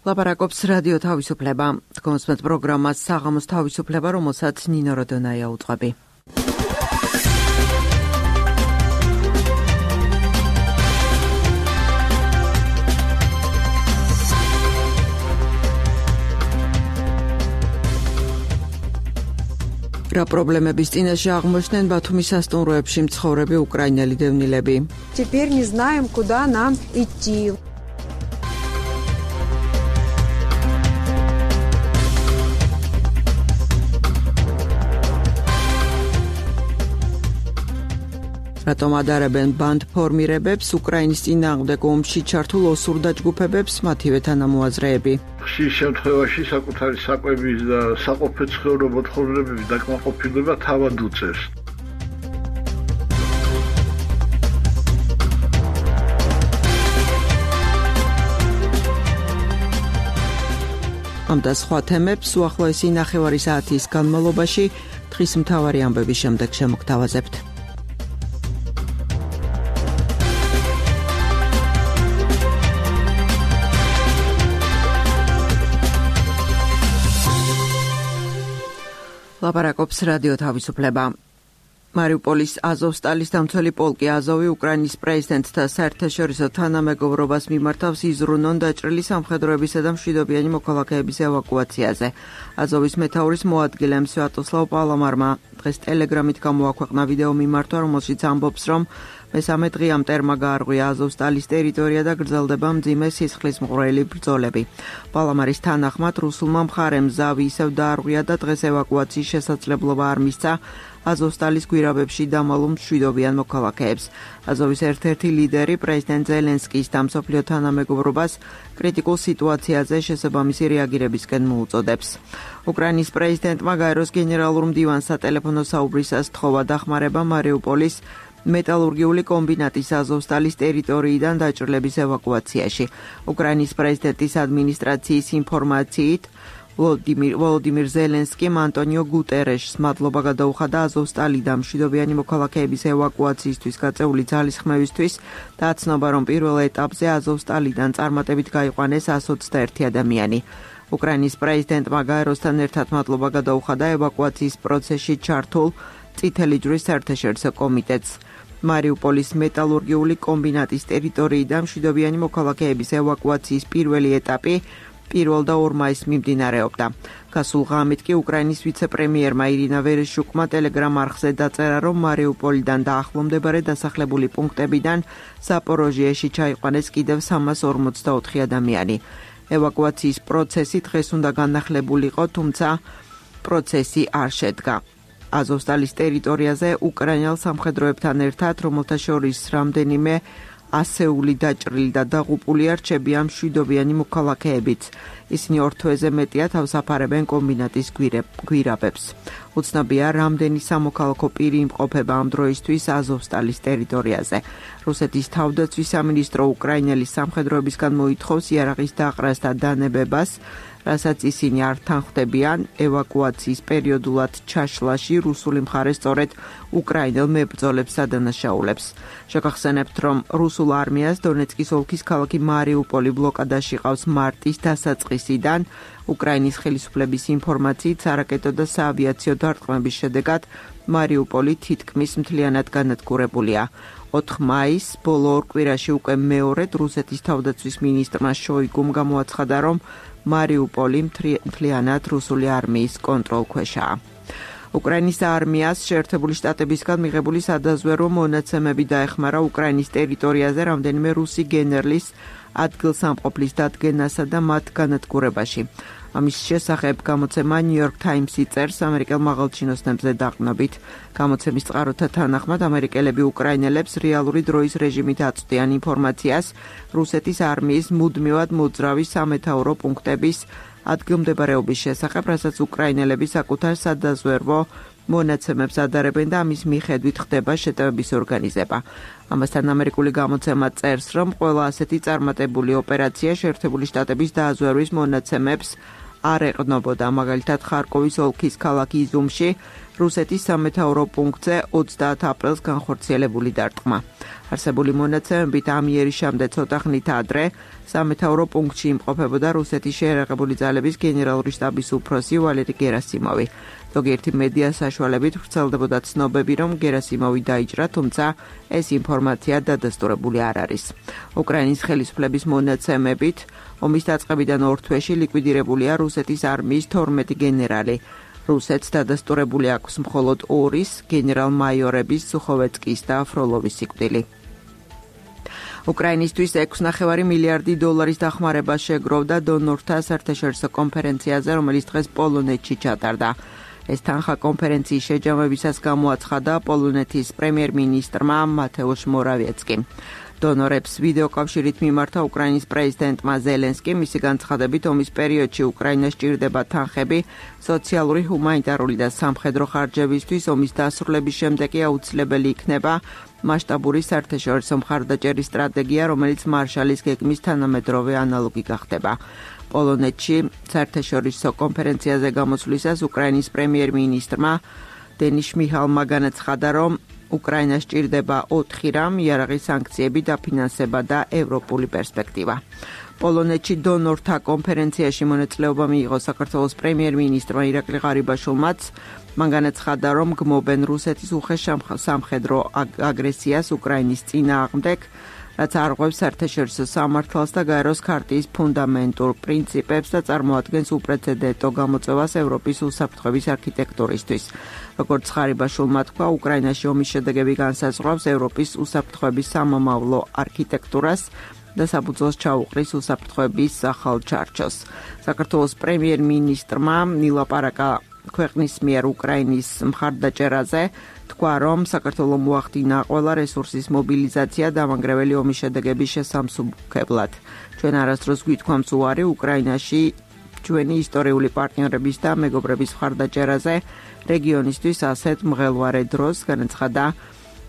ლაპარაკობს რადიო თავისუფლება. თქვენს პროგრამას საღამოს თავისუფლება, რომელსაც ნინო როდონაია უძღვები. რა პრობლემების წინაშე აღმოჩნდნენ ბათუმის სასტუმროებში მცხოვრები უკრაინელი დევნილები. Теперь не знаем, куда нам идти. რატომ ადარებენ ბანდ ფორმირებებს უკრაინის წინააღმდეგ ომში ჩართულ ოსურ დაჯგუფებებს მათივე თანამოაზრეები. ხშირ შემთხვევაში საკუთარი საკვების და საყოფაცხოვრებო მოთხოვნებების დაკმაყოფილება თავად უწევს. ამ და სხვა თემებს უახლოესი ნახევარი საათის განმავლობაში დღის მთავარი ამბების შემდეგ შემოგთავაზებთ. ლაპარაკობს რადიო თავისუფლება. მარიუპოლის აზოვსტალის დამცველი პოლკი აზოვი უკრაინის პრეზიდენტთა საერთაშორისო თანამეგობრობას მიმართავს იზრუნონ დაჭრილი სამხედროებისა და მშვიდობიანი მოქალაქეების ევაკუაციაზე. აზოვის მეთაურის მოადგილე სვიატოსლავ პალამარმა დღეს ტელეგრამით გამოაქვეყნა ვიდეო მიმართვა, რომელშიც ამბობს, რომ მესამე დღე ამ ტერმა გაარღვია აზოვსტალის ტერიტორია და გრძელდება მძიმე სისხლისმღვრელი ბრძოლები. პალამარის თანახმად რუსულმა მხარემ ზავი ისევ დაარღვია და დღეს ევაკუაციის შესაძლებლობა არ მისცა აზოვსტალის გვირაბებში დამალულ მშვიდობიან მოქალაქეებს. აზოვის ერთ-ერთი ლიდერი პრეზიდენტ ზელენსკის და მსოფლიო თანამეგობრობას კრიტიკულ სიტუაციაზე შესაბამისი რეაგირებისკენ მოუწოდებს. უკრაინის პრეზიდენტმა გაეროს გენერალურ მდივანს სატელეფონო საუბრისას თხოვა დახმარება მარიუპოლის მეტალურგიული კომბინატის აზოვსტალის ტერიტორიიდან დაჭრილების ევაკუაციაში. უკრაინის პრეზიდენტის ადმინისტრაციის ინფორმაციით ვოლოდიმირ ზელენსკიმ ანტონიო გუტერეშს მადლობა გადაუხადა აზოვსტალიდან მშვიდობიანი მოქალაქეების ევაკუაციისთვის გაწეული ძალისხმევისთვის და აცნობა, რომ პირველ ეტაპზე აზოვსტალიდან წარმატებით გაიყვანეს 121 ადამიანი. უკრაინის პრეზიდენტმა გაეროსთან ერთად მადლობა გადაუხადა ევაკუაციის პროცესში ჩართულ წითელი ჯვრის საერთაშორისო კომიტეტს. მარიუპოლის მეტალურგიული კომბინატის ტერიტორიიდან მშვიდობიანი მოქალაქეების ევაკუაციის პირველი ეტაპი 1 და 2 მაისს მიმდინარეობდა. გასულ ღამით კი უკრაინის ვიცე-პრემიერმა ირინა ვერეშუკმა ტელეგრამ არხზე დაწერა, რომ მარიუპოლიდან და ახლომდებარე დასახლებული პუნქტებიდან ზაპოროჟიეში ჩაიყვანეს კიდევ 344 ადამიანი. ევაკუაციის პროცესი დღეს უნდა განახლებულიყო, თუმცა პროცესი არ შედგა. აზოვსტალის ტერიტორიაზე უკრაინელ სამხედროებთან ერთად, რომელთა შორის რამდენიმე ასეული დაჭრილი და დაღუპულია, რჩებიან მშვიდობიანი მოქალაქეებიც. ისინი 2 თვეზე მეტია თავს აფარებენ კომბინატის გვირაბებს. უცნობია, რამდენი სამოქალაქო პირი იმყოფება ამ დროისთვის აზოვსტალის ტერიტორიაზე. რუსეთის თავდაცვის სამინისტრო უკრაინელი სამხედროებისგან მოითხოვს იარაღის დაყრას და დანებებას, რასაც ისინი არ თანხმდებიან ევაკუაციის პერიოდულად ჩაშლაში რუსული მხარე სწორედ უკრაინელ მებრძოლებს ადანაშაულებს. შეგახსენებთ, რომ რუსულ არმიას დონეცკის ოლქის ქალაქი მარიუპოლი ბლოკადაში ყავს მარტის დასაწყისიდან. უკრაინის ხელისუფლების ინფორმაციით სარაკეტო და საავიაციო დარტყმების შედეგად მარიუპოლი თითქმის მთლიანად განადგურებულია. 4 მაისს ბოლო 2 კვირაში უკვე მეორედ რუსეთის თავდაცვის მინისტრმა შოიგუმ გამოაცხადა, რომ მარიუპოლი მთლიანად რუსული არმიის კონტროლქვეშაა. უკრაინის არმიას შეერთებული შტატებისგან მიღებული სადაზვერვო მონაცემები დაეხმარა უკრაინის ტერიტორიაზე რამდენიმე რუსი გენერლის ადგილსამყოფლის დადგენასა და მათ განადგურებაში. ამის შესახებ გამოცემა New York Times-ი წერს ამერიკელ მაღალჩინოსნებზე დაყრდნობით. გამოცემის წყაროთა თანახმად ამერიკელები უკრაინელებს რეალური დროის რეჟიმით აწვდიან ინფორმაციას რუსეთის არმიის მუდმივად მოძრავი სამეთაურო პუნქტების ადგილმდებარეობის შესახებ, რასაც უკრაინელები საკუთარ სადაზვერვო მონაცემებს ადარებენ და ამის მიხედვით ხდება შეტევების ორგანიზება. ამასთან ამერიკული გამოცემა წერს, რომ ყველა ასეთი წარმატებული ოპერაცია შეერთებული შტატების დააზვერვის მონაცემებს არ ეყრდნობოდა. მაგალითად, ხარკოვის ოლქის ქალაქ იზუმში რუსეთის სამეთაურო პუნქტზე 30 აპრილს განხორციელებული დარტყმა. არსებული მონაცემებით ამ იერიშამდე ცოტა ხნით ადრე სამეთაურო პუნქტში იმყოფებოდა რუსეთის შეიარაღებული ძალების გენერალური შტაბის უფროსი ვალერი გერასიმოვი. ზოგიერთი მედია საშუალებით ვრცელდებოდა ცნობები, რომ გერასიმოვი დაიჭრა, თუმცა ეს ინფორმაცია დადასტურებული არ არის. უკრაინის ხელისუფლების მონაცემებით ომის დაწყებიდან 2 თვეში ლიკვიდირებულია რუსეთის არმიის 12 გენერალი. რუსეთს დადასტურებული აქვს მხოლოდ 2-ის გენერალ-მაიორების სუხოვეცკის და ფროლოვის სიკვდილი. უკრაინისთვის 6,5 მილიარდი დოლარის დახმარება შეგროვდა დონორთა საერთაშორისო კონფერენციაზე, რომელიც დღეს პოლონეთში ჩატარდა. ეს თანხა კონფერენციის შეჯამებისას გამოაცხადა პოლონეთის პრემიერ-მინისტრმა მათეუშ მორავიეცკიმ. დონორებს ვიდეოკავშირით მიმართა უკრაინის პრეზიდენტმა ზელენსკიმ, მისი განცხადებით ომის პერიოდში უკრაინას ჭირდება თანხები სოციალური, ჰუმანიტარული და სამხედრო ხარჯებისთვის, ომის დასრულების შემდეგ კი აუცილებელი იქნება მასშტაბური საერთაშორისო მხარდაჭერის სტრატეგია, რომელიც მარშალის გეგმის თანამედროვე ანალოგი გახდება. პოლონეთში საერთაშორისო კონფერენციაზე გამოსვლისას უკრაინის პრემიერ-მინისტრმა დენის შმიჰალმა განაცხადა, რომ უკრაინას ჭირდება 4 რამ: იარაღის სანქციები, დაფინანსება და ევროპული პერსპექტივა. პოლონეთში დონორთა კონფერენციაში მონაწილეობა მიიღო საქართველოს პრემიერ-მინისტრმა ირაკლი ღარიბაშვილმაც. მან განაცხადა, რომ გმობენ რუსეთის უხეშ სამხედრო აგრესიას უკრაინის წინააღმდეგ, რაც არღვევს საერთაშორისო სამართალს და გაეროს ქარტიის ფუნდამენტურ პრინციპებს და წარმოადგენს უპრეცედენტო გამოწვევას ევროპის უსაფრთხოების არქიტექტურისთვის. როგორც ღარიბაშვილმა თქვა, უკრაინაში ომის შედეგები განსაზღვრავს ევროპის უსაფრთხოების სამომავლო არქიტექტურას და საფუძველს ჩაუყრის უსაფრთხოების ახალ ჩარჩოს. საქართველოს პრემიერ-მინისტრმა ილაპარაკა ქვეყნის მიერ უკრაინის მხარდაჭერაზე, თქვა, რომ საქართველოს მოახდინა ყველა რესურსის მობილიზაცია დამანგრეველი ომის შედეგების შესამსუბუქებლად. ჩვენ არასდროს გვითქვამს უარი უკრაინაში ჩვენი ისტორიული პარტნიორების და მეგობრების მხარდაჭერაზე რეგიონისთვის ასეთ მღელვარე დროს, განაცხადა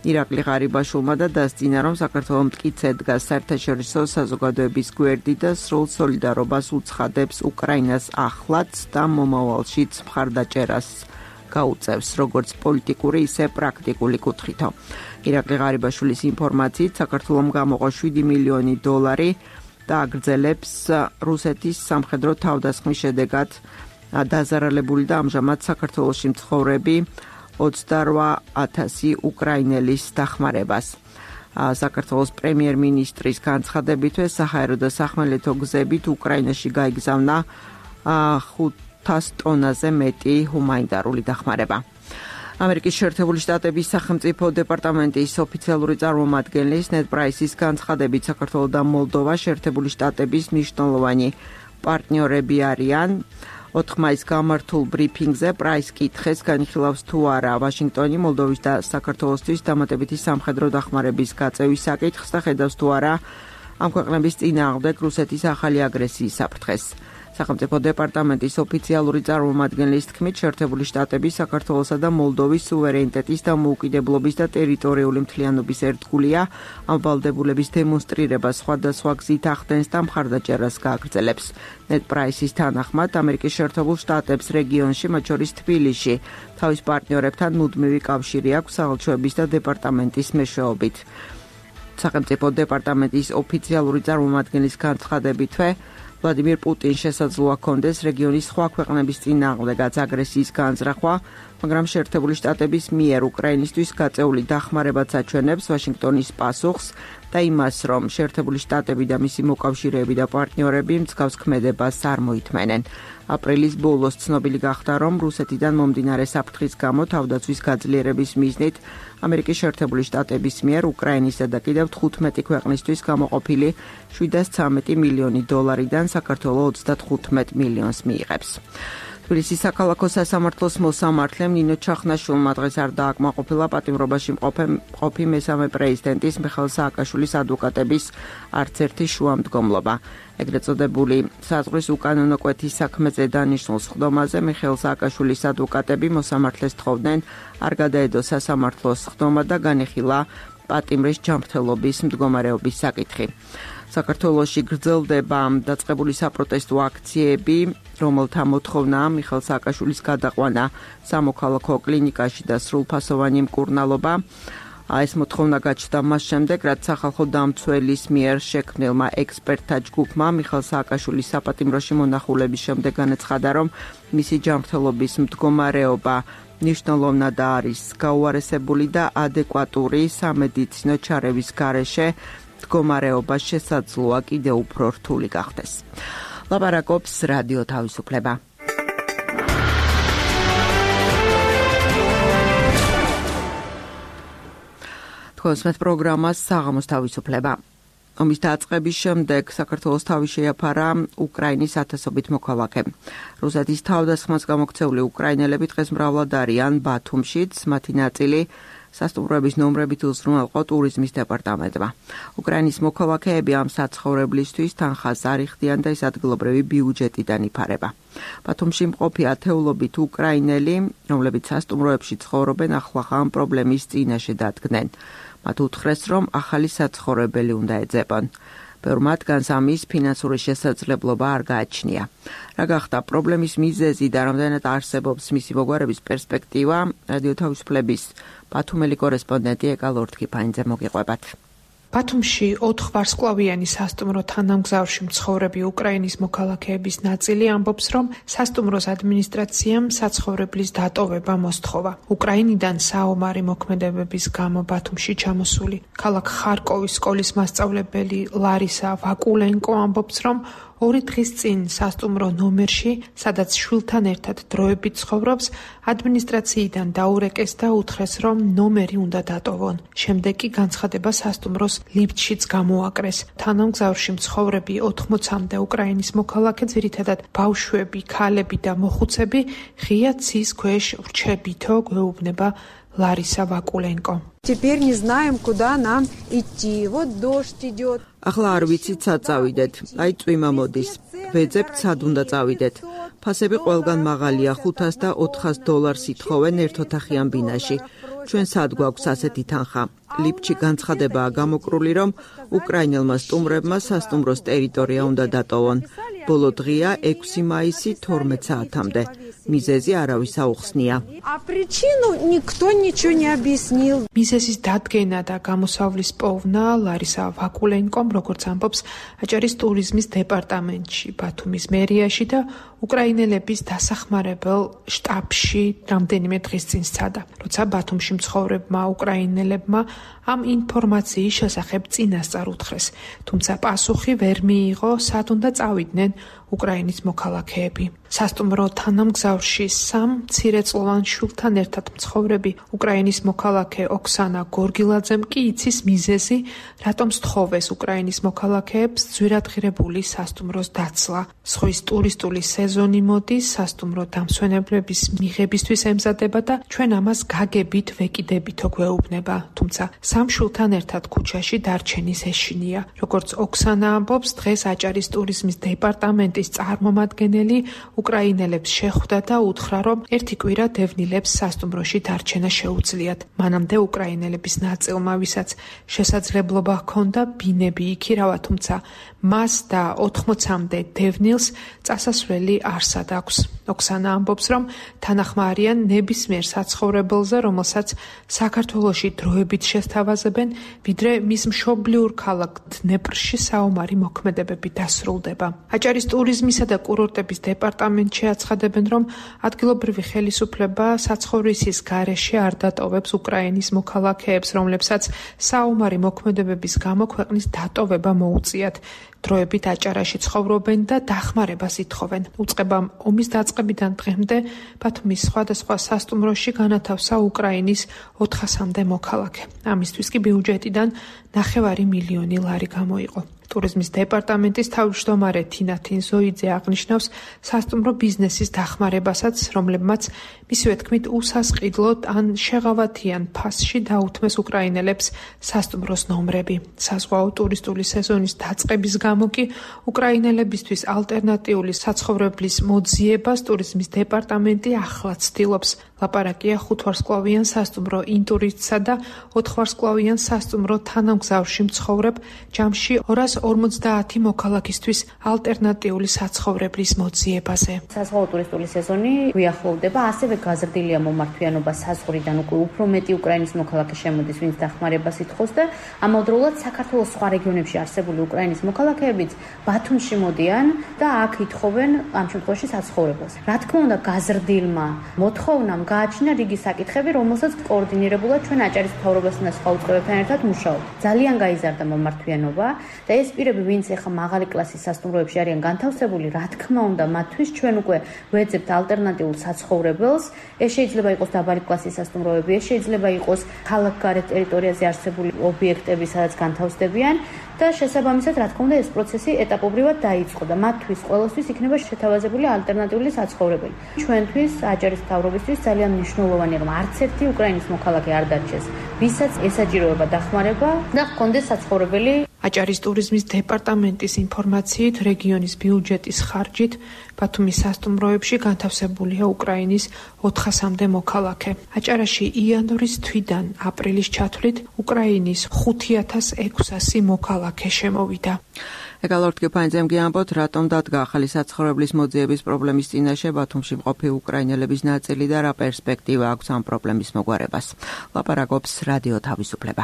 ირაკლი ღარიბაშვილმა და დასძინა, რომ საქართველოს მტკიცე დგას საერთაშორისო საზოგადოების გვერდი და სრულ სოლიდარობას უცხადებს უკრაინას ახლაც და მომავალშიც მხარდაჭერას გაუწევს, როგორც პოლიტიკური, ისე პრაქტიკული კუთხითო. ირაკლი ღარიბაშვილის ინფორმაციით, საქართველოს გამოყო 7 მილიონი დოლარი და აგრძელებს რუსეთის სამხედრო თავდასხმის შედეგად დაზარალებული და ამჟამად საქართველოში მცხოვრები 28,000 უკრაინელის დახმარებას. საქართველოს პრემიერ-მინისტრის განცხადებითვე საჰაერო და სახმელეთო გზებით უკრაინაში გაიგზავნა 500 ტონაზე მეტი ჰუმანიტარული დახმარება. ამერიკის შეერთებული შტატების სახელმწიფო დეპარტამენტის ოფიციალური წარმომადგენლის ნედ პრაისის განცხადებით, საქართველო და მოლდოვა შეერთებული შტატების მნიშვნელოვანი პარტნიორები არიან. 4 მაისს გამართულ ბრიფინგზე პრაის კითხეს, განიხილავს თუ არა ვაშინგტონი მოლდოვის და საქართველოსთვის დამატებითი სამხედრო დახმარების გაწევის საკითხს და ხედავს თუ არა ამ ქვეყნების წინააღმდეგ რუსეთის ახალი აგრესიის საფრთხეს. სახელმწიფო დეპარტამენტის ოფიციალური წარმომადგენლის თქმით, შეერთებული შტატები საქართველოსა და მოლდოვის სუვერენიტეტის და მოუკიდებლობის და ტერიტორიული მთლიანობის ერთგულია, ამ ვალდებულების დემონსტრირებას სხვადასხვა გზით ახდენს და მხარდაჭერას გააგრძელებს. ნედ პრაისის თანახმად, ამერიკის შეერთებულ შტატებს რეგიონში, მათ შორის თბილისში, თავის პარტნიორებთან მუდმივი კავშირი აქვს საელჩოების და დეპარტამენტის მეშვეობით. სახელმწიფო დეპარტამენტის ოფიციალური წარმომადგენლის განცხადებითვე, ვლადიმირ პუტინს შესაძლოა ჰქონდეს რეგიონის სხვა ქვეყნების წინააღმდეგაც აგრესიის განზრახვა, მაგრამ შეერთებული შტატების მიერ უკრაინისთვის გაწეული დახმარებაც აჩვენებს ვაშინგტონის პასუხს და იმას, რომ შეერთებული შტატები და მისი მოკავშირეები და პარტნიორები მსგავს ქმედებას არ მოითმენენ. აპრილის ბოლოს ცნობილი გახდა, რომ რუსეთიდან მომდინარე საფრთხის გამო თავდაცვის გაძლიერების მიზნით ამერიკის შეერთებული შტატების მიერ უკრაინისა და კიდევ 15 ქვეყნისთვის გამოყოფილი 713 მილიონი დოლარიდან საქართველოს 35 მილიონს მიიღებს. თბილისის საქალაქო სასამართლოს მოსამართლემ ნინო ჩახნაშვილმა დღეს არ დააკმაყოფილა პატიმრობაში მყოფი მესამე პრეზიდენტის მიხეილ სააკაშვილის ადვოკატების არც ერთი შუამდგომლობა. ეგრეთ წოდებული საზღვრის უკანონო კვეთის საქმეზე დანიშნულ სხდომაზე მიხეილ სააკაშვილის ადვოკატები მოსამართლეს თხოვდნენ არ გადაედო სასამართლოს სხდომა და განეხილა პატიმრის ჯანმრთელობის მდგომარეობის საკითხი. საქართველოში გრძელდება დაწყებული საპროტესტო აქციები რომელთა მოთხოვნაა მიხეილ სააკაშვილის გადაყვანა სამოქალაქო კლინიკაში და სრულფასოვანი მკურნალობა. ეს მოთხოვნა გაჩნდა მას შემდეგ, რაც სახალხო დამცველის მიერ შექმნილმა ექსპერტთა ჯგუფმა მიხეილ სააკაშვილის საპატიმროში მონახულების შემდეგ განაცხადა, რომ მისი ჯანმრთელობის მდგომარეობა ნიშნულოვნად არის გაუარესებული და ადეკვატური სამედიცინო ჩარევის გარეშე მდგომარეობა შესაძლოა კიდევ უფრო რთული გახდეს. ლაპარაკობს რადიო თავისუფლება. თქვენს პროგრამას საღამოს თავისუფლება. ომის დაწყების შემდეგ საქართველოს თავი შეაფარა უკრაინის ათასობით მოქალაქე. რუსეთის თავდასხმას გამოქცეული უკრაინელები დღეს მრავლად არიან ბათუმშიც, მათი ნაწილი სასტუმროების ნომრებით უზრუნველყო ტურიზმის დეპარტამენტმა. უკრაინის მოქალაქეები ამ საცხოვრებლისთვის თანხას არ იხდიან და ეს ადგილობრივი ბიუჯეტიდან იფარება. ბათუმში მყოფი ათეულობით უკრაინელი, რომლებიც სასტუმროებში ცხოვრობენ, ახლა ამ პრობლემის წინაშე დადგნენ. მათ უთხრეს, რომ ახალი საცხოვრებელი უნდა ეძებონ. ბევრ მათგანს ამის ფინანსური შესაძლებლობა არ გააჩნია. რა გახდა პრობლემის მიზეზი და რამდენად არსებობს მისი მოგვარების პერსპექტივა, რადიო თავისუფლების ბათუმელი კორესპონდენტი ეკა ლორთქიფაინძე მოგიყვებათ. ბათუმში 4 ვარსკვლავიანი სასტუმრო თანამგზავრში მცხოვრები უკრაინის მოქალაქეების ნაწილი ამბობს, რომ სასტუმროს ადმინისტრაციამ საცხოვრებლის დატოვება მოსთხოვა. უკრაინიდან საომარი მოქმედებების გამო ბათუმში ჩამოსული ქალაქ ხარკოვის სკოლის მასწავლებელი ლარისა ვაკულენკო ამბობს, რომ 2 დღის წინ სასტუმრო ნომერში, სადაც შვილთან ერთად დროებით ცხოვრობს, ადმინისტრაციიდან დაურეკეს და უთხრეს, რომ ნომერი უნდა დატოვონ. შემდეგ კი განცხადება სასტუმროს ლიფტშიც გამოაკრეს. თანამგზავრში მცხოვრები 80-მდე უკრაინის მოქალაქე, ძირითადად ბავშვები, ქალები და მოხუცები, ღია ცის ქვეშ რჩებითო გვეუბნება ლარისა ვაკულენკო. Теперь не знаем, куда нам идти. Вот дождь идет. ახლა არ ვიცით სად წავიდეთ. აი წვიმა მოდის. ვეძებთ სად უნდა წავიდეთ. ფასები ყველგან მაღალია, $500 და $400 ითხოვენ ერთოთახიან ბინაში. ჩვენ სად გვაქვს ასეთი თანხა? ლიფტში განცხადებაა გამოკრული, რომ უკრაინელმა სტუმრებმა სასტუმროს ტერიტორია უნდა დატოვონ. ბოლო დღეა 6 მაისი 12 საათამდე. მიზეზი არავის აუხსნია. А причину никто ничего не объяснил. მიზეზის დადგენა და გამოსავლის პოვნა ლარისა ვაკულენკომ, როგორც ამბობს, აჭარის ტურიზმის დეპარტამენტში, ბათუმის მერიაში და უკრაინელების დასახმარებელ შტაბში რამდენიმე დღის წინ სცადა. როცა ბათუმში მცხოვრებმა უკრაინელებმა ამ ინფორმაციის შესახებ წინასწარ უთხრეს, თუმცა პასუხი ვერ მიიღო, სად უნდა წავიდნენ უკრაინის მოქალაქეები. სასტუმრო თანამგზავრში 3 მცირეწლოვან შვილთან ერთად მცხოვრები უკრაინის მოქალაქე ოქსანა გორგილაძემ კი იცის მიზეზი, რატომ სთხოვეს უკრაინის მოქალაქეებს ძვირადღირებული სასტუმროს დაცლა. ზღვის ტურისტული სეზონი მოდის, სასტუმრო დამსვენებლების მიღებისთვის ემზადება და ჩვენ ამას გაგებით ვეკიდებითო გვეუბნება. თუმცა 3 შვილთან ერთად ქუჩაში დარჩენის ეშინია. როგორც ოქსანა ამბობს, დღეს აჭარის ტურიზმის დეპარტამენტის წარმომადგენელი უკრაინელებს შეხვდა და უთხრა, რომ ერთი კვირა დევნილებს სასტუმროში დარჩენა შეუძლიათ. მანამდე უკრაინელების ნაწილმა, ვისაც შესაძლებლობა ჰქონდა ბინები იქირავა, თუმცა მას და 80-მდე დევნილს წასასვლელი არსად აქვს. ოქსანა ამბობს, რომ თანახმა არიან ნებისმიერ საცხოვრებელზე, რომელსაც საქართველოში დროებით შესთავაზებენ, ვიდრე მის მშობლიურ ქალაქ დნეპრში საომარი მოქმედებები დასრულდება. აჭარის ტურიზმისა და კურორტების დეპარტამენტში აცხადებენ, რომ ადგილობრივი ხელისუფლება საცხოვრისის გარეშე არ დატოვებს უკრაინის მოქალაქეებს, რომლებსაც საომარი მოქმედებების გამო ქვეყნის დატოვება მოუწიათ. დროებით აჭარაში ცხოვრობენ და დახმარებას ითხოვენ. უწყებამ ომის დაწყებიდან დღემდე ბათუმის სხვადასხვა სასტუმროში განათავსა უკრაინის 400-მდე მოქალაქე. ამისთვის კი ბიუჯეტიდან 9 მილიონი ლარი გამოიყო. ტურიზმის დეპარტამენტის თავმჯდომარე თინა თინზოიძე აღნიშნავს სასტუმრო ბიზნესის დახმარებასაც, რომლებმაც მისივე თქმით უსასყიდლოდ ან შეღავათიან ფასში დაუთმეს უკრაინელებს სასტუმროს ნომრები. საზღვაო ტურისტული სეზონის დაწყების გამო კი უკრაინელებისთვის ალტერნატიული საცხოვრებლის მოძიებას ტურიზმის დეპარტამენტი ახლა ცდილობს. ლაპარაკია 5 ვარსკვლავიან სასტუმრო ინტურისტსა და 4 ვარსკვლავიან სასტუმრო თანამგზავრში მცხოვრებ ჯამში 250 მოქალაქისთვის ალტერნატიული საცხოვრებლის მოძიებაზე. Საზღვაო ტურისტული სეზონი გვიახლოვდება, ასევე გაზრდილია მომართვიანობა საზღვრიდან უკვე უფრო მეტი უკრაინის მოქალაქე შემოდის, ვინც დახმარებას ითხოვს და ამავდროულად საქართველოს სხვა რეგიონებში არსებული უკრაინის მოქალაქეებიც ბათუმში მოდიან და აქ ითხოვენ ამ შემთხვევაში საცხოვრებელს. Რა თქმა უნდა, გაზრდილმა მოთხოვნამ გააჩინა რიგი საკითხები, რომელსაც კოორდინირებულად ჩვენ აჭარის მთავრობასთან და სხვა უწყებებთან ერთად მუშაობთ. ძალიან გაიზარდა მომართვიანობა და ეს პირები, ვინც ახლა მაღალი კლასის სასტუმროებში არიან განთავსებული, რა თქმა უნდა, მათთვის ჩვენ უკვე ვეძებთ ალტერნატიულ საცხოვრებელს. ეს შეიძლება იყოს დაბალი კლასის სასტუმროები, ეს შეიძლება იყოს ქალაქგარეთ ტერიტორიაზე არსებული ობიექტები, სადაც განთავსდებიან და შესაბამისად, რა თქმა უნდა, ეს პროცესი ეტაპობრივად დაიწყო და მათთვის ყველასთვის იქნება შეთავაზებული ალტერნატიული საცხოვრებელი. ჩვენთვის, აჭარის მთავრობისთვის ძალიან მნიშვნელოვანია, რომ არც ერთი უკრაინის მოქალაქე არ დარჩეს, ვისაც ესაჭიროება დახმარება და ჰქონდეს საცხოვრებელი. აჭარის ტურიზმის დეპარტამენტის ინფორმაციით, რეგიონის ბიუჯეტის ხარჯით ბათუმის სასტუმროებში განთავსებულია უკრაინის 400-მდე მოქალაქე. აჭარაში იანვრის თვიდან აპრილის ჩათვლით უკრაინის 5600 მოქალაქე შემოვიდა. ეკალორდ გეფანიძემ გიამბოთ, რატომ დადგა ახალი საცხოვრებლის მოძიების პრობლემის წინაშე ბათუმში მყოფი უკრაინელების ნაწილი და რა პერსპექტივა აქვს ამ პრობლემის მოგვარებას. ლაპარაკობს რადიო თავისუფლება.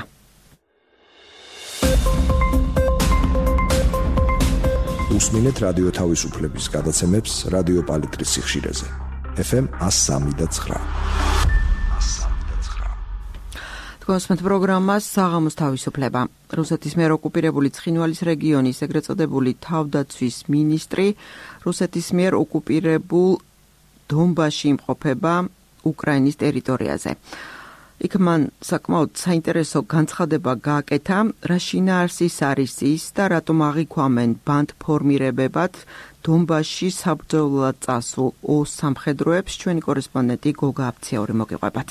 უსმინეთ რადიო თავისუფლების გადაცემებს რადიო პალიტრის სიხშირეზე. FM 103.9. თქვენს პროგრამას საღამოს თავისუფლება. რუსეთის მიერ ოკუპირებული ცხინვალის რეგიონის ეგრეთ წოდებული თავდაცვის მინისტრი რუსეთის მიერ ოკუპირებულ დონბასში იმყოფება უკრაინის ტერიტორიაზე. იქ მან საკმაოდ საინტერესო განცხადება გააკეთა, რა შინაარსის არის ის და რატომ აღიქვამენ ბანდფორმირებებად დონბასში საბრძოლველად წასულ ოს სამხედროებს. ჩვენი კორესპონდენტი გოგა აფციური მოგიყვებათ.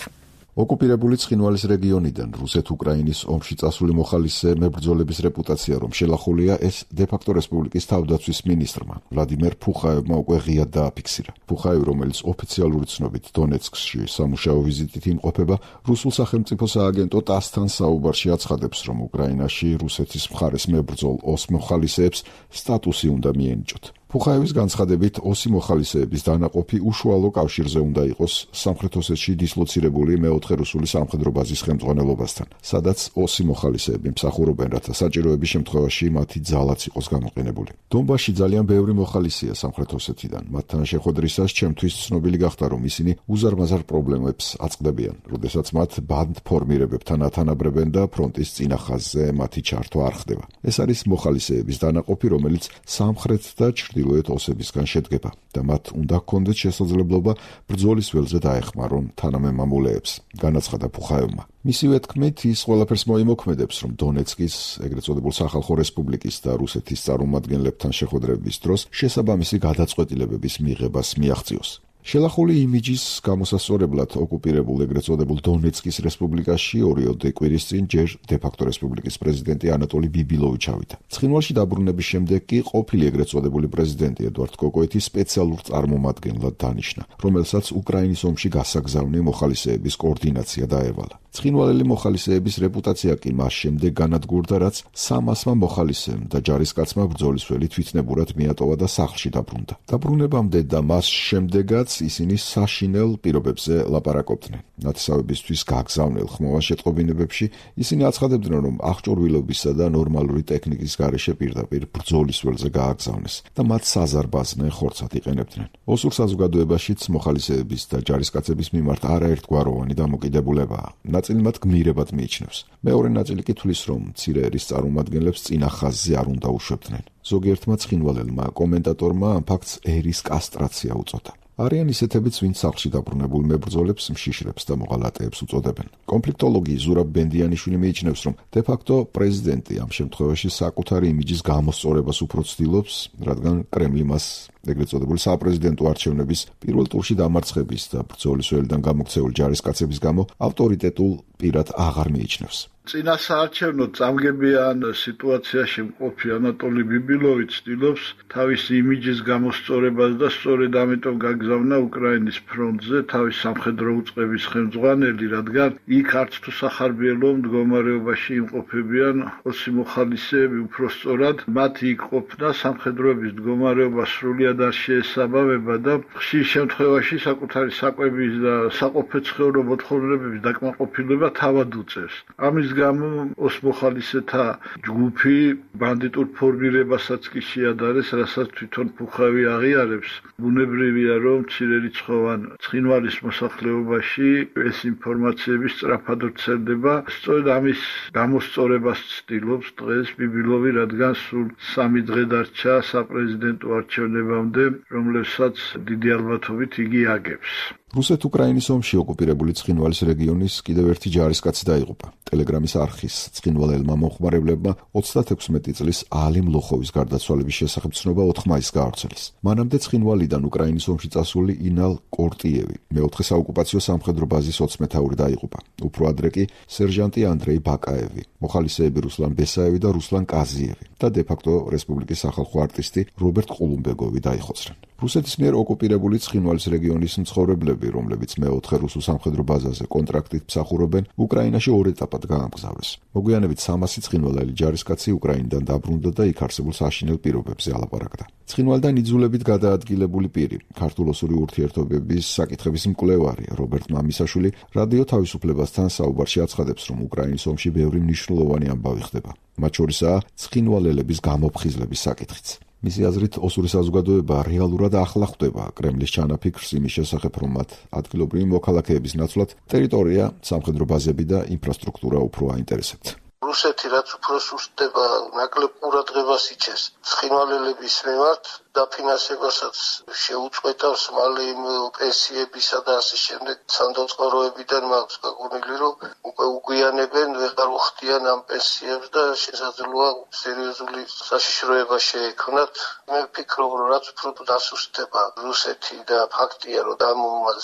ოკუპირებული ცხინვალის რეგიონიდან რუსეთ-უკრაინის ომში წასული მოხალისე მებრძოლების რეპუტაცია რომ შელახულია, ეს დე-ფაქტო რესპუბლიკის თავდაცვის მინისტრმა ვლადიმერ ფუხაევმა უკვე ღიად დააფიქსირა. ფუხაევი, რომელიც ოფიციალური ცნობით დონეცკში სამუშაო ვიზიტით იმყოფება, რუსულ სახელმწიფო სააგენტო ტასთან საუბარში აცხადებს, რომ უკრაინაში რუსეთის მხარეს მებრძოლ ოს მოხალისეებს სტატუსი უნდა მიენიჭოთ. ფუხაევის განცხადებით, ოსი მოხალისეების დანაყოფი უშუალო კავშირზე უნდა იყოს სამხრეთ ოსეთში დისლოცირებული მეოთხე რუსული სამხედრო ბაზის ხელმძღვანელობასთან, სადაც ოსი მოხალისეები მსახურობენ, რათა საჭიროების შემთხვევაში მათი ძალაც იყოს გამოყენებული. დონბასში ძალიან ბევრი მოხალისეა სამხრეთ ოსეთიდან. მათთან შეხვედრისას ჩემთვის ცნობილი გახდა, რომ ისინი უზარმაზარ პრობლემებს აწყდებიან, როდესაც მათ ბანდფორმირებებთან ათანაბრებენ და ფრონტის წინა ხაზზე მათი ჩართვა არ ხდება. ეს არის მოხალისეების დანაყოფი, რომელიც სამხრეთ და ჩრდილოეთ ოსებისგან შედგება და მათ უნდა ჰქონდეთ შესაძლებლობა ბრძოლის ველზე დაეხმარონ თანამემამულეებს, განაცხადა ფუხაევმა. მისივე თქმით, ის ყველაფერს მოიმოქმედებს, რომ დონეცკის, ეგრეთ წოდებულ სახალხო რესპუბლიკის და რუსეთის წარმომადგენლებთან შეხვედრების დროს შესაბამისი გადაწყვეტილებების მიღებას მიაღწიოს. შელახული იმიჯის გამოსასწორებლად ოკუპირებულ ეგრეთ წოდებულ დონეცკის რესპუბლიკაში ორიოდე კვირის წინ ჯერ დე-ფაქტო რესპუბლიკის პრეზიდენტი ანატოლი ბიბილოვი ჩავიდა. ცხინვალში დაბრუნების შემდეგ კი ყოფილი ეგრეთ წოდებული პრეზიდენტი ედვარდ კოკოეთი სპეციალურ წარმომადგენლად დანიშნა, რომელსაც უკრაინის ომში გასაგზავნი მოხალისეების კოორდინაცია დაევალა. ცხინვალელი მოხალისეების რეპუტაცია კი მას შემდეგ განადგურდა, რაც 300-მა მოხალისემ და ჯარისკაცმა ბრძოლისველი თვითნებურად მიატოვა და სახლში დაბრუნდა. დაბრუნებამდე და მას შემდეგაც ისინი საშინელ პირობებზე ლაპარაკობდნენ. ნათესავებისთვის გაგზავნილ ხმოვან შეტყობინებებში ისინი აცხადებდნენ, რომ აღჭურვილობისა და ნორმალური ტექნიკის გარეშე პირდაპირ ბრძოლის ველზე გააგზავნეს და მათ საზარბაზნე ხორცად იყენებდნენ. ოსურ საზოგადოებაშიც მოხალისეების და ჯარისკაცების მიმართ არაერთგვაროვანი დამოკიდებულებაა. ნაწილი მათ გმირებად მიიჩნევს. მეორე ნაწილი კი თვლის, რომ მცირე ერის წარმომადგენლებს წინა ხაზზე არ უნდა უშვებდნენ. ზოგიერთმა ცხინვალელმა კომენტატორმა ამ ფაქტს ერის კასტრაცია უწოდა. არიან ისეთებიც, ვინც სახლში დაბრუნებულ მებრძოლებს მშიშრებს და მოღალატეებს უწოდებენ. კონფლიქტოლოგი ზურაბ ბენდიანიშვილი მიიჩნევს, რომ დე-ფაქტო პრეზიდენტი ამ შემთხვევაში საკუთარი იმიჯის გამოსწორებას უფრო ცდილობს, რადგან კრემლი მას ეგრეთ წოდებული საპრეზიდენტო არჩევნების პირველ ტურში დამარცხების და ბრძოლის ველიდან გამოქცეული ჯარისკაცების გამო ავტორიტეტულ პირად აღარ მიიჩნევს. წინა საარჩევნო წამგებიან სიტუაციაში მყოფი ანატოლი ბიბილოვი ცდილობს თავისი იმიჯის გამოსწორებას და სწორედ ამიტომ გაგზავნა უკრაინის ფრონტზე თავის სამხედრო უწყების ხელმძღვანელი, რადგან იქ არც თუ სახარბიელო მდგომარეობაში იმყოფებიან ოსი მოხალისეები, უпростоრად მათი იქ ყოფნა სამხედროების მდგომარეობა სრულიად არ შეესაბამება და ხშირ შემთხვევაში საკუთარი საკვების და საყოფაცხოვრებო მოთხოვნებების დაკმაყოფილება თავად უწევს. ამის გამო ოსმოხალისეთა ჯგუფი ბანდიტურ ფორმირებასაც კი შეადარეს, რასაც თვითონ ფუხავი აღიარებს. ბუნებრივია, რომ მცირერიცხოვან ცხინვალის მოსახლეობაში ეს ინფორმაციები სწრაფად ვრცელდება. სწორედ ამის გამოსწორებას ცდილობს დღეს ბიბილოვი, რადგან სულ 3 დღე დარჩა საპრეზიდენტო არჩევნებამდე, რომლებსაც დიდი ალბათობით იგი აგებს. რუსეთ-უკრაინის ომში ოკუპირებული ცხინვალის რეგიონის კიდევ ერთი ჯარისკაცი დაიღუპა. ტელეგრამის არხის ცხინვალელმა მომხმარებლებმა 36 წლის ალი მლოხოვის გარდაცვალების შესახებ ცნობა 4 მაისს გაავრცელეს. მანამდე ცხინვალიდან უკრაინის ომში წასული ინალ კორტიევი მეოთხე საოკუპაციო სამხედრო ბაზის 20 მეთაური დაიღუპა. უფრო ადრე კი სერჟანტი ანდრეი ბაკაევი, მოხალისეები რუსლან ბესაევი და რუსლან კაზიევი და დე-ფაქტო რესპუბლიკის სახალხო არტისტი რობერტ ყულუმბეგოვი დაიხოცნენ. რუსეთის მიერ ოკუპირებული ცხინვალის რეგიონის მცხოვრებლები, რომლებიც მეოთხე რუსულ სამხედრო ბაზაზე კონტრაქტით მსახურობენ, უკრაინაში 2 ეტაპად გაამგზავრეს. მოგვიანებით 300 ცხინვალელი ჯარისკაცი უკრაინიდან დაბრუნდა და იქ არსებულ საშინელ პირობებზე ალაპარაკდა. ცხინვალიდან იძულებით გადაადგილებული პირი, ქართულ-ოსური ურთიერთობების საკითხების მკვლევარი რობერტ მამისაშვილი რადიო თავისუფლებასთან საუბარში აცხადებს, რომ უკრაინის ომში ბევრი მნიშვნელოვანი ამბავი ხდება. მათ შორისაა ცხინვალელების გამოფხიზლების საკითხიც. მისი აზრით, ოსური საზოგადოება რეალურად ახლა ხვდება კრემლის ჩანაფიქრს იმის შესახებ, რომ მათ ადგილობრივი მოქალაქეების ნაცვლად ტერიტორია, სამხედრო ბაზები და ინფრასტრუქტურა უფრო აინტერესებთ. რუსეთი რაც უფრო სუსტდება, ნაკლებ ყურადღებას იჩენს ცხინვალელების მიმართ, დაფინანსებასაც შეუწყვეტავს მალე იმ პენსიებისა და ასე შემდეგ სანდოწყაროებიდან მაქვს გაგონილი, რომ უკვე უგვიანებენ, ვეღარ უხდიან ამ პენსიებს და შესაძლოა სერიოზული საშიშროება შეექმნათ. მე ვფიქრობ, რომ რაც უფრო დასუსტდება რუსეთი და ფაქტია, რომ ამ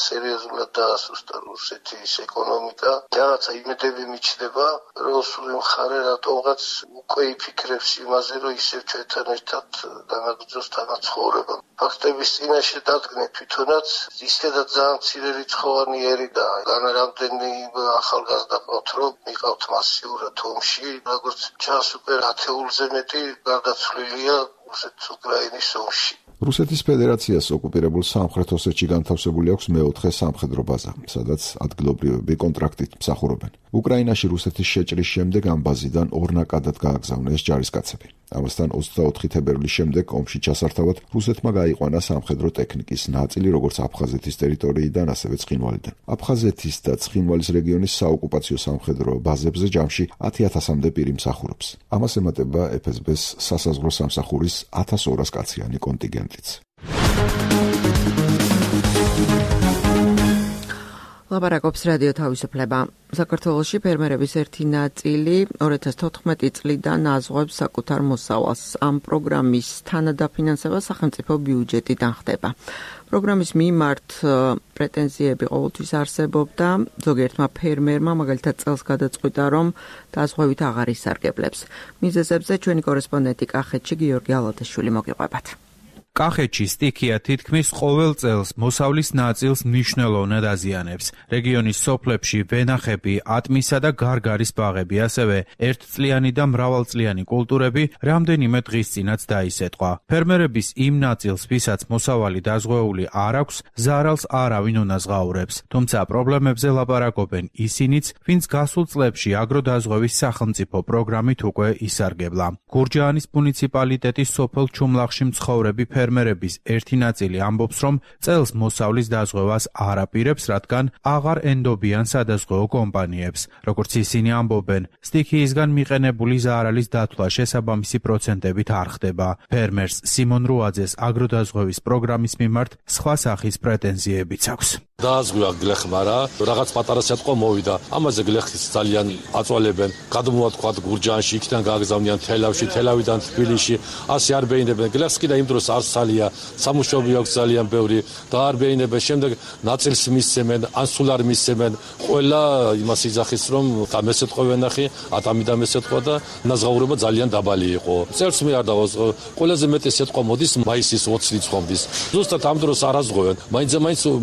სერიოზულად დაასუსტა რუსეთის ეკონომიკა, რაღაცა იმედები მიჩნდება, რომ სულ მხარე რატომღაც უკვე იფიქრებს იმაზე, რომ ისევ ჩვენთან ერთად განაგრძოს თანაცხოვრება. ფაქტების წინაშე დადგნენ თვითონაც ისედაც ძალიან მცირერიცხოვანი ერი და განარამდენი ახალგაზრდა ყავთ, რომ მიყავთ მასიურად ომში, როგორც ჩანს უკვე 10-ზე მეტი გარდაცვლილია რუსეთ-უკრაინის ომში. რუსეთის ფედერაციას ოკუპირებულ სამხრეთ ოსეთში განთავსებული აქვს მეოთხე სამხედრო ბაზა, სადაც ადგილობრივები კონტრაქტით მსახურობენ. უკრაინაში რუსეთის შეჭრის შემდეგ ამ ბაზიდან ორნაკადად გააგზავნეს ჯარისკაცები. ამასთან 24 თებერვლის შემდეგ ომში ჩასართავად რუსეთმა გაიყვანა სამხედრო ტექნიკის ნაწილი, როგორც აფხაზეთის ტერიტორიიდან, ასევე ცხინვალიდან. აფხაზეთის და ცხინვალის რეგიონის საოკუპაციო სამხედრო ბაზებზე ჯამში 10,000-მდე პირი მსახურობს. ამას ემატება FSB-ს სასაზღვრო სამსახურის 1200 კაციანი კონტინგენტიც. ლაპარაკობს რადიო თავისუფლება. საქართველოში ფერმერების ერთი ნაწილი 2014 წლიდან აზღვევს საკუთარ მოსავალს. ამ პროგრამის თანადაფინანსება სახელმწიფო ბიუჯეტიდან ხდება. პროგრამის მიმართ პრეტენზიები ყოველთვის არსებობდა. ზოგიერთმა ფერმერმა მაგალითად წელს გადაწყვიტა, რომ დაზღვევით აღარ ისარგებლებს. მიზეზებზე ჩვენი კორესპონდენტი კახეთში გიორგი ალადაშვილი მოგიყვებათ. კახეთში სტიქია თითქმის ყოველ წელს მოსავლის ნაწილს მნიშვნელოვნად აზიანებს. რეგიონის სოფლებში ვენახები, ატმისა და გარგარის ბაღები, ასევე ერთწლიანი და მრავალწლიანი კულტურები რამდენიმე დღის წინაც დაისეტყვა. ფერმერების იმ ნაწილს, ვისაც მოსავალი დაზღვეული არ აქვს, ზარალს არავინ უნაზღაურებს. თუმცა პრობლემებზე ლაპარაკობენ ისინიც, ვინც გასულ წლებში აგროდაზღვევის სახელმწიფო პროგრამით უკვე ისარგებლა. გურჯაანის მუნიციპალიტეტის სოფელ ჩუმლახში მცხოვრები ფერმერების ერთი ნაწილი ამბობს, რომ წელს მოსავლის დაზღვევას არ აპირებს, რადგან აღარ ენდობიან სადაზღვეო კომპანიებს. როგორც ისინი ამბობენ, სტიქიისგან მიყენებული ზარალის დათვლა შესაბამისი პროცენტებით არ ხდება. ფერმერს სიმონ რუაძეს აგროდაზღვევის პროგრამის მიმართ სხვა სახის პრეტენზიებიც აქვს. დააზღვია გლეხმა რა, რაღაც პატარა სიტყვა მოვიდა. ამაზე გლეხის ძალიან აწვალებენ. გადმოვათქვათ გურჯაანში, იქიდან გააგზავნიან თელავში, თელავიდან თბილისში. ასე არ ბეინებენ. გლეხს კიდე იმ დროს არც სალია, სამუშაოები აქვს ძალიან ბევრი და არ ბეინებენ. შემდეგ ნაწილს მისცემენ, ან სულ არ მისცემენ. ყველა იმას იძახის, რომ და მესეთყვა ვენახი, ატამი და მესეთყვა და ნაზღაურება ძალიან დაბალი იყო. წერს მე არ დავაზღო. ყველაზე მეტი სიტყვა მოდის მაისის 20 რიცხვამდე. ზუსტად ამ დროს არ აზღვევენ. მაინც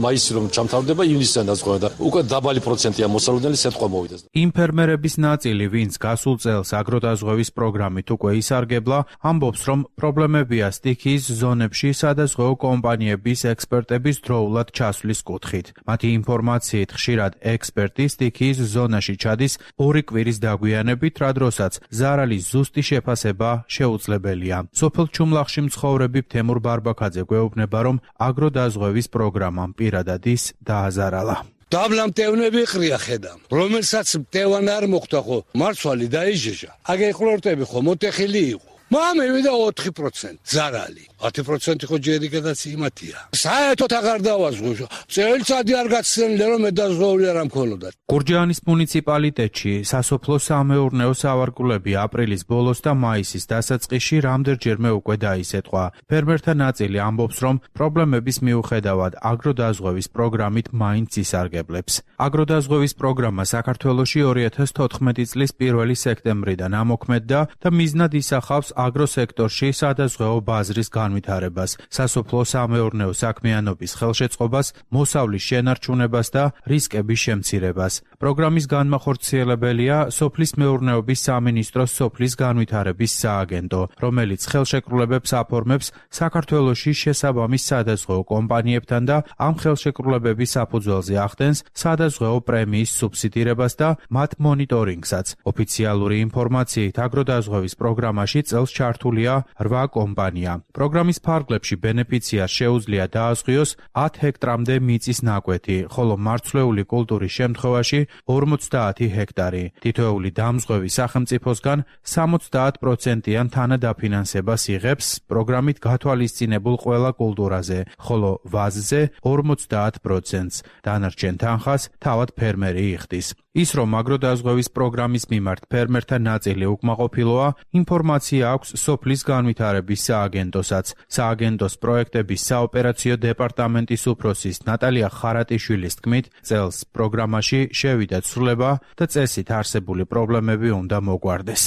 მაისი რომ ჩამთავრდება ივნისიდან აზღვევენ და უკვე დაბალი პროცენტია მოსალოდნელი სიტყვა მოვიდეს. იმ ფერმერების ნაწილი, ვინც გასულ წელს აგროდაზღვევის პროგრამით უკვე ისარგებლა, ამბობს, რომ პრობლემებია სტიქიის ზონებში სადაზღვეო კომპანიების ექსპერტების დროულად ჩასვლის კუთხით. მათი ინფორმაციით ხშირად ექსპერტი სტიქიის ზონაში ჩადის 2 კვირის დაგვიანებით, რა დროსაც ზარალის ზუსტი შეფასება შეუძლებელია. სოფელ ჩუმლახში მცხოვრები თემურ ბარბაქაძე გვეუბნება, რომ აგროდაზღვევის პროგრამამ პირადად ის დააზარალა. დაბლა მტევნები ყრია ხედამ, რომელსაც მტევან არ მოხდა ხო, მარცვალი დაიჟეჟა. აგე ყლორტები ხო მოტეხილი იყო. მამევიდა 4% ზარალი. 10% ხო ჯერი გადაციმათია. საერთოდ აღარ დავაზღვე. წელიწადი არ გაცნელია რომ მედაზღვეული არ ამქოლოდა. გურჯაანის მუნიციპალიტეტში სასოფლო-სამეურნეო სავარგულები აპრილის ბოლოს და მაისის დასაწყისში რამდენჯერმე უკვე დაისეთყვა. ფერმერთა ნაწილი ამბობს, რომ პრობლემების მიუხედავად აგროდაზღვევის პროგრამით მაინც ისარგებლებს. აგროდაზღვევის პროგრამა საქართველოში 2014 წლის 1 სექტემბრიდან ამოქმედდა და მიზნად ისახავს აგროსექტორში სადაზღვეო ბაზრის განვითარებას, სასოფლო-სამეურნეო საქმიანობის ხელშეწყობას, მოსავლის შენარჩუნებას და რისკების შემცირებას. პროგრამის განმახორციელებელია სოფლის მეურნეობის სამინისტროს სოფლის განვითარების სააგენტო, რომელიც ხელშეკრულებებს აფორმებს საქართველოში შესაბამის სადაზღვეო კომპანიებთან და ამ ხელშეკრულებების საფუძველზე ახდენს სადაზღვეო პრემიის სუბსიდირებას და მათ მონიტორინგსაც. ოფიციალური ინფორმაციით აგროდაზღვევის პროგრამაში წელს ჩართულია 8 კომპანია. პროგრამის ფარგლებში ბენეფიციარს შეუძლია დააზღვიოს 10 ჰექტრამდე მიწის ნაკვეთი, ხოლო მარცვლეული კულტურის შემთხვევაში 50 ჰექტარი. თითოეული დამზღვევი სახელმწიფოსგან 70%-იან თანადაფინანსებას იღებს პროგრამით გათვალისწინებულ ყველა კულტურაზე, ხოლო ვაზზე 50%-ს. დანარჩენ თანხას თავად ფერმერი იხდის. ის რომ აგროდაზღვევის პროგრამის მიმართ ფერმერთა ნაწილი უკმაყოფილოა, ინფორმაცია აქვს სოფლის განვითარების სააგენტოსაც. სააგენტოს პროექტების საოპერაციო დეპარტამენტის უფროსის ნატალია ხარატიშვილის თქმით, წელს პროგრამაში შევიდა ცვლილება და წესით არსებული პრობლემები უნდა მოგვარდეს.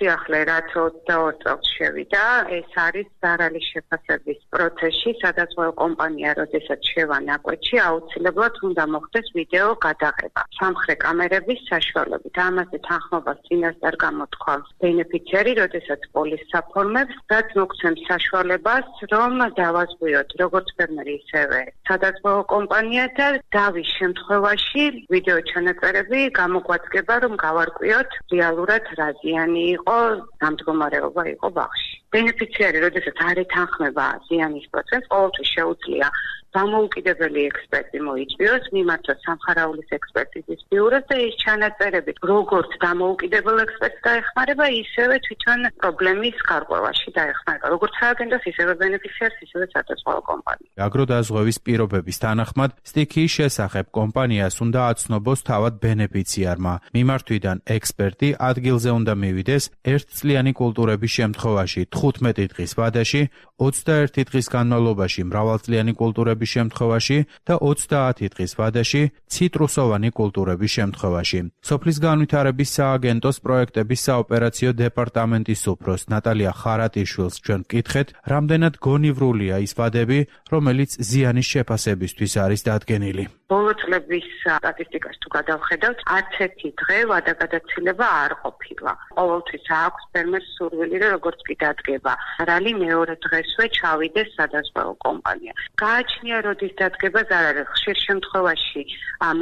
ახლა რაც 22 წელს შევიდა, ეს არის ზარალის შეფასების პროცესში, სადაზღვეო კომპანია, როდესაც შევა ნაკვეთში, აუცილებლად უნდა მოხდეს ვიდეო გადაღება. სამხრე კამერების საშუალებით. ამაზე თანხმობას წინასწარ გამოთქვამს ბენეფიციარი, როდესაც პოლისს აფორმებს, რაც მოგცემს საშუალებას, რომ დავაზღვიოთ როგორც ფერმერი, ისევე სადაზღვეო კომპანია და დავის შემთხვევაში ვიდეო ჩანაწერები გამოგვაწკება, რომ გავარკვიოთ რეალურად რა ზიანი იყო. გამდგომარეობა იყო ბაღში. ბენეფიციარი, როდესაც არ ეთანხმება ზიანის პროცესს, ყოველთვის შეუძლია დამოუკიდებელი ექსპერტი მოიწვიოს, მიმართოს სამხარაულის ექსპერტიზის ბიუროს და ის ჩანაწერები, როგორც დამოუკიდებელ ექსპერტს დაეხმარება, ისევე თვითონ პრობლემის გარკვევაში დაეხმარება, როგორც სააგენტოს, ისევე ბენეფიციარს, ისევე სადაზღვეო კომპანიას. აგროდაზღვევის პირობების თანახმად, სტიქიის შესახებ კომპანიას უნდა აცნობოს თავად ბენეფიციარმა. მიმართვიდან ექსპერტი ადგილზე უნდა მივიდეს 1 წლიანი კულტურების შემთხვევაში 15 დღის ვადაში, 21 დღის განმავლობაში მრავალწლიანი კულტურების შემთხვევაში და 30 დღის ვადაში ციტრუსოვანი კულტურების შემთხვევაში. სოფლის განვითარების სააგენტოს პროექტების საოპერაციო დეპარტამენტის უფროს ნატალია ხარატიშვილს ჩვენ ვკითხეთ, რამდენად გონივრულია ის ვადები, რომელიც ზიანის შეფასებისთვის არის დადგენილი. ბოლო წლების სტატისტიკას თუ გადავხედავთ, არც ერთი დღე ვადაგადაცილება არ ყოფილა. ყოველთვის აქვს ფერმერს სურვილი, როგორც კი დადგება. ზარალი მეორე დღესვე ჩავიდეს სადაზღვეო კომპანია. გააჩნია როდის დადგება ზარალი. ხშირ შემთხვევაში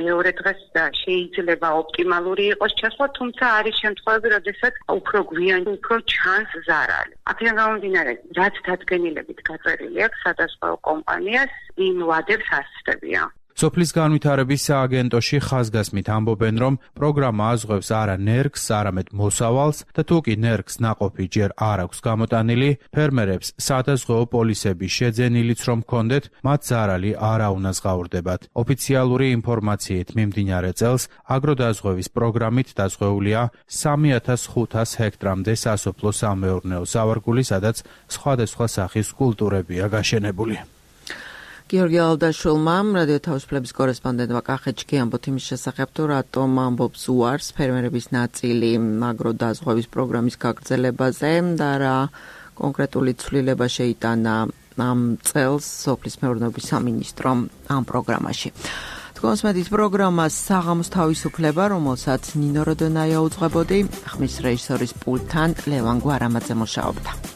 მეორე დღეს შეიძლება ოპტიმალური იყოს ჩასვლა, თუმცა არის შემთხვევები, როდესაც უფრო გვიან, უფრო ჩანს ზარალი. აქედან გამომდინარე, რაც დადგენილებით გაწერილი აქვს სადაზღვეო კომპანიას, იმ ვადებს ასწრებია. სოფლის განვითარების სააგენტოში ხაზგასმით ამბობენ, რომ პროგრამა აზღვევს არა ნერგს, არამედ მოსავალს და თუ კი ნერგს ნაყოფი ჯერ არ აქვს გამოტანილი, ფერმერებს სადაზღვეო პოლისები შეძენილიც რომ ჰქონდეთ, მათ ზარალი არ აუნაზღაურდებათ. ოფიციალური ინფორმაციით მიმდინარე წელს აგროდაზღვევის პროგრამით დაზღვეულია 3500 ჰექტრამდე სასოფლო-სამეურნეო სავარგული, სადაც სხვადასხვა სახის კულტურებია გაშენებული. გიორგი ალდაშვილმა, რადიო თავისუფლების კორესპონდენტმა კახეთში ამბობთ იმის შესახებ, თუ რატომ ამბობს უარს ფერმერების ნაწილი აგროდაზღვევის პროგრამის გაგრძელებაზე და რა კონკრეტული ცვლილება შეიტანა ამ წელს სოფლის მეურნეობის სამინისტრომ ამ პროგრამაში. თქვენს მეტის პროგრამა საღამოს თავისუფლება, რომელსაც ნინო როდონაია უძღვებოდი, ხმის რეჟისორის პულტთან ლევან გვარამაძე მუშაობდა.